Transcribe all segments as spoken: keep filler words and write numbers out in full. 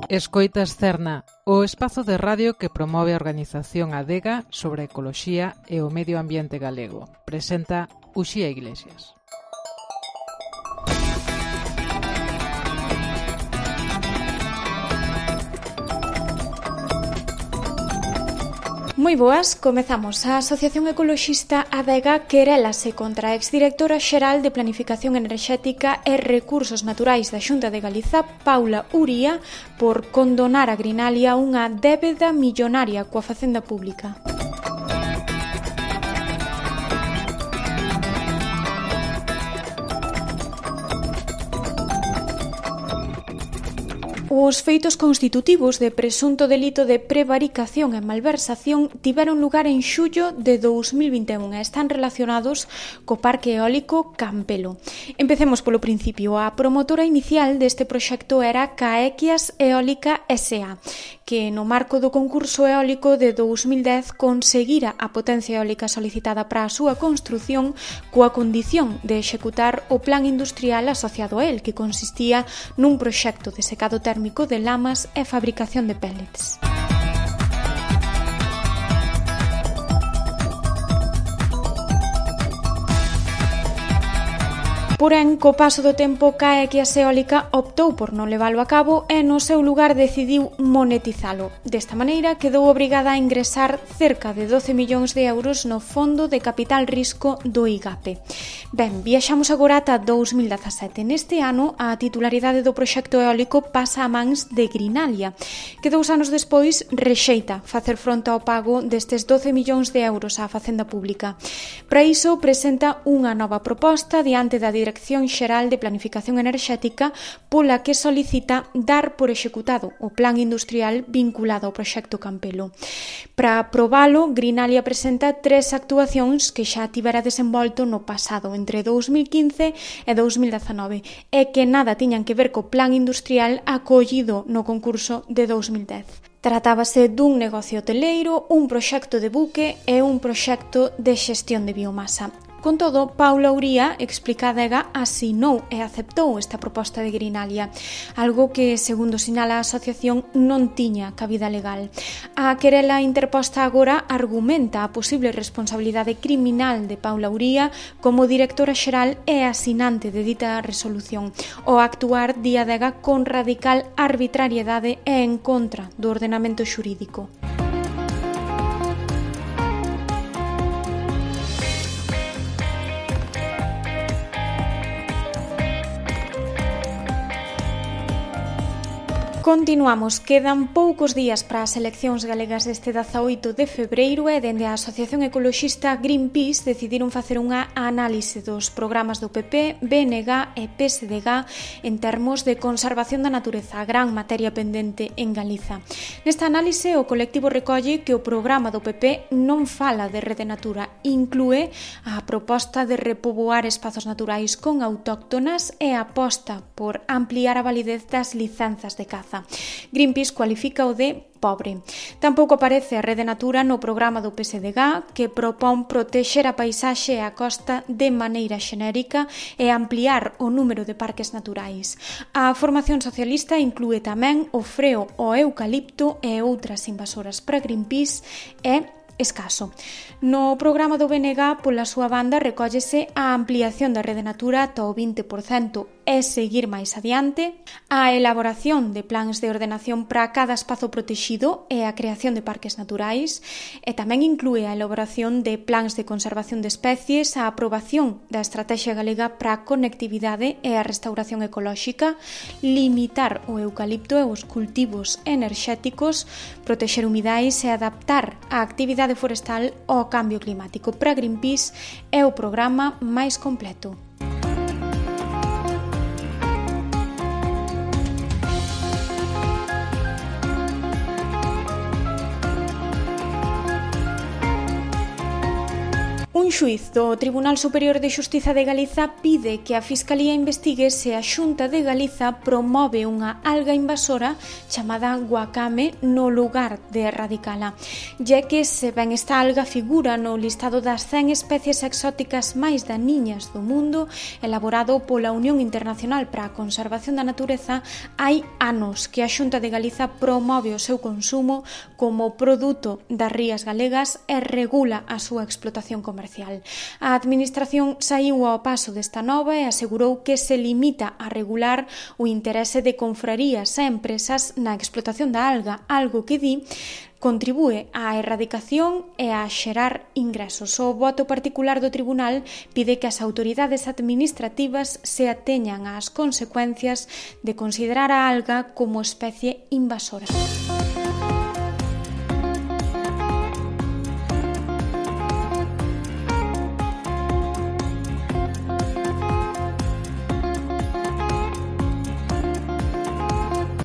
Escoitas Cerna, o espazo de radio que promove a organización Adega sobre a ecoloxía e o medio ambiente galego. Presenta Uxía Iglesias. Moi boas, comezamos. A Asociación Ecoloxista Adega querélase contra a exdirectora xeral de Planificación Enerxética e Recursos Naturais da Xunta de Galiza, Paula Uría, por condonar a Grinalia unha débeda millonaria coa Facenda Pública. Os feitos constitutivos de presunto delito de prevaricación e malversación tiveron lugar en xullo de dous mil vinte e un e están relacionados co Parque Eólico Campelo. Empecemos polo principio. A promotora inicial deste proxecto era Caequias Eólica S A, que no marco do concurso eólico de dous mil dez conseguira a potencia eólica solicitada para a súa construción coa condición de executar o plan industrial asociado a el, que consistía nun proxecto de secado térmico de lamas e fabricación de pellets. Porén, co paso do tempo, Caequias Eólica optou por non levalo a cabo e no seu lugar decidiu monetizalo. Desta maneira, quedou obrigada a ingresar cerca de doce millóns de euros no Fondo de Capital Risco do I G A P E. Ben, viaxamos agora ata dous mil dezasete. Neste ano, a titularidade do proxecto eólico pasa a mans de Grinalia, que dous anos despois rexeita facer fronte ao pago destes doce millóns de euros á Facenda Pública. Para iso, presenta unha nova proposta diante da Dirección Xeral de Planificación Enerxética, pola que solicita dar por executado o plan industrial vinculado ao proxecto Campelo. Para aprobalo, Grinalia presenta tres actuacións que xa tivera desenvolto no pasado, entre dous mil quince e dous mil dezanove, e que nada tiñan que ver co plan industrial acollido no concurso de dous mil dez. Tratábase dun negocio hoteleiro, un proxecto de buque e un proxecto de xestión de biomasa. Con todo, Paula Uría, explica a Adega, asinou e aceptou esta proposta de Grinalia, algo que, segundo sinala a asociación, non tiña cabida legal. A querela interposta agora argumenta a posible responsabilidade criminal de Paula Uría como directora xeral e asinante de dita resolución, o actuar di Adega con radical arbitrariedade e en contra do ordenamento xurídico. Continuamos, quedan poucos días para as eleccións galegas deste dezaoito de febreiro e dende a Asociación Ecoloxista Greenpeace decidiron facer unha análise dos programas do P P, B N G e P S D G en termos de conservación da natureza, a gran materia pendente en Galiza. Nesta análise, o colectivo recolle que o programa do P P non fala de Rede Natura, inclúe a proposta de repoboar espazos naturais con autóctonas e aposta por ampliar a validez das licenzas de caza. Greenpeace cualifica o de pobre. Tampouco aparece a Rede Natura no programa do P S D G, que propón protexer a paisaxe e a costa de maneira xenérica e ampliar o número de parques naturais. A formación socialista inclúe tamén o freo ao eucalipto e outras invasoras. Para Greenpeace é escaso. No programa do B N G, pola súa banda, recóllese a ampliación da Rede Natura ata o vinte por cento e seguir máis adiante, a elaboración de plans de ordenación para cada espazo protexido e a creación de parques naturais, e tamén inclúe a elaboración de plans de conservación de especies, a aprobación da Estrategia Galega para a Conectividade e a Restauración Ecolóxica, limitar o eucalipto e os cultivos enerxéticos, protexer humidais e adaptar a actividade forestal ao cambio climático. Para Greenpeace é o programa máis completo. Un xuíz do Tribunal Superior de Xustiza de Galiza pide que a Fiscalía investigue se a Xunta de Galiza promove unha alga invasora chamada guacame no lugar de erradicala, ya que se ben esta alga figura no listado das cen especies exóticas máis daniñas do mundo elaborado pola Unión Internacional para a Conservación da Natureza, hai anos que a Xunta de Galiza promove o seu consumo como produto das rías galegas e regula a súa explotación comercial. A Administración saiu ao paso desta nova e asegurou que se limita a regular o interese de confrarías e empresas na explotación da alga, algo que di contribúe á erradicación e a xerar ingresos. O voto particular do Tribunal pide que as autoridades administrativas se ateñan ás consecuencias de considerar a alga como especie invasora.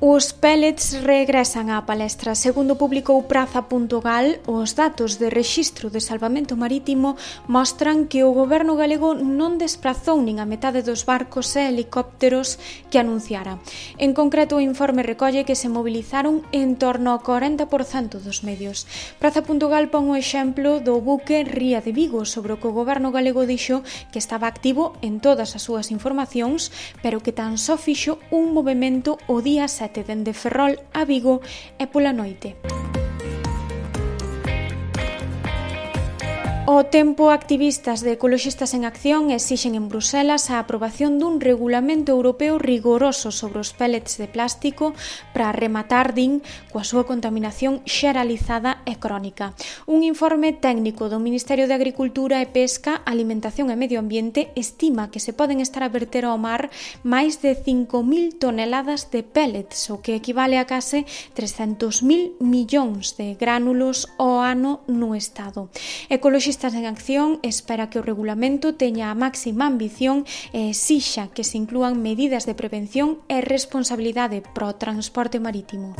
Os pellets regresan á palestra. Segundo publicou Praza punto gal, os datos de rexistro de salvamento marítimo mostran que o goberno galego non desprazou nin a metade dos barcos e helicópteros que anunciara. En concreto, o informe recolle que se movilizaron en torno ao corenta por cento dos medios. Praza punto gal pon o exemplo do buque Ría de Vigo, sobre o que o goberno galego dixo que estaba activo en todas as súas informacións, pero que tan só fixo un movimento o día sete dende Ferrol a Vigo e pola noite. O tempo, activistas de Ecoloxistas en Acción exixen en Bruselas a aprobación dun regulamento europeo rigoroso sobre os pellets de plástico para rematar, din, coa súa contaminación xeralizada e crónica. Un informe técnico do Ministerio de Agricultura e Pesca, Alimentación e Medio Ambiente estima que se poden estar a verter ao mar máis de cinco mil toneladas de pellets, o que equivale a case trescentos mil millóns de gránulos ao ano no Estado. Ecoloxistas en Acción espera que o regulamento teña a máxima ambición e exixa que se inclúan medidas de prevención e responsabilidade pro transporte marítimo.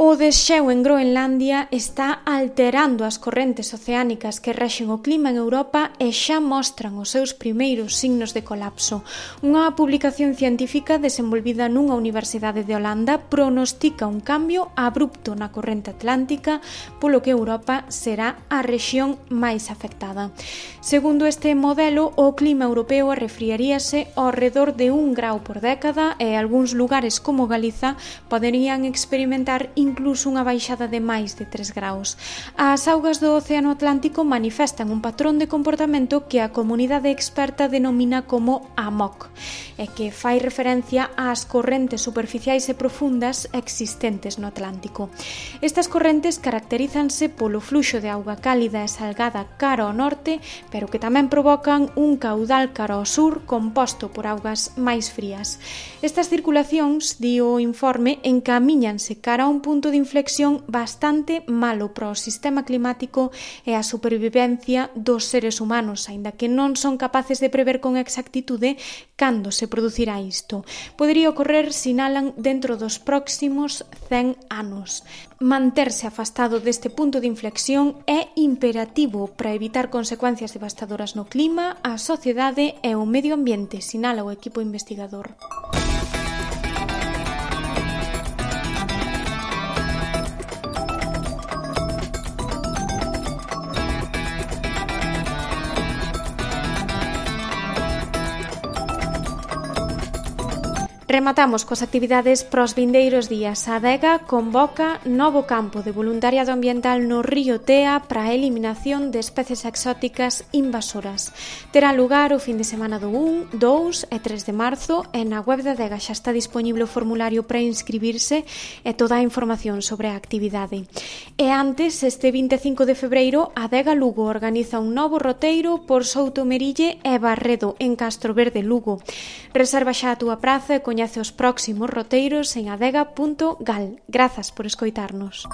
O desxeo en Groenlandia está alterando as correntes oceánicas que rexen o clima en Europa e xa mostran os seus primeiros signos de colapso. Unha publicación científica desenvolvida nunha universidade de Holanda pronostica un cambio abrupto na corrente atlántica, polo que Europa será a rexión máis afectada. Segundo este modelo, o clima europeo arrefriaríase ao redor de un grau por década e algúns lugares como Galiza poderían experimentar incluso unha baixada de máis de tres graus. As augas do Océano Atlántico manifestan un patrón de comportamento que a comunidade experta denomina como A M O C, e que fai referencia ás correntes superficiais e profundas existentes no Atlántico. Estas correntes caracterízanse polo fluxo de auga cálida e salgada cara ao norte, pero que tamén provocan un caudal cara ao sur composto por augas máis frías. Estas circulacións, di o informe, encamíñanse cara a un punto de inflexión bastante malo para o sistema climático e a supervivencia dos seres humanos, aínda que non son capaces de prever con exactitude cando se producirá isto. Podería ocorrer, sinalan, dentro dos próximos cen anos. Manterse afastado deste punto de inflexión é imperativo para evitar consecuencias devastadoras no clima, a sociedade e o medio ambiente, sinala o equipo investigador. Rematamos coas actividades pros vindeiros días. A Adega convoca novo campo de voluntariado ambiental no río Tea para a eliminación de especies exóticas invasoras. Terá lugar o fin de semana do un, dous e tres de marzo e na web da Adega xa está dispoñible o formulario para inscribirse e toda a información sobre a actividade. E antes, este vinte e cinco de febreiro, a Adega Lugo organiza un novo roteiro por Soutomerille e Barredo en Castro Verde, Lugo. Reserva xa a túa praza e coñece os próximos roteiros en adega punto gal. Grazas por escoitarnos.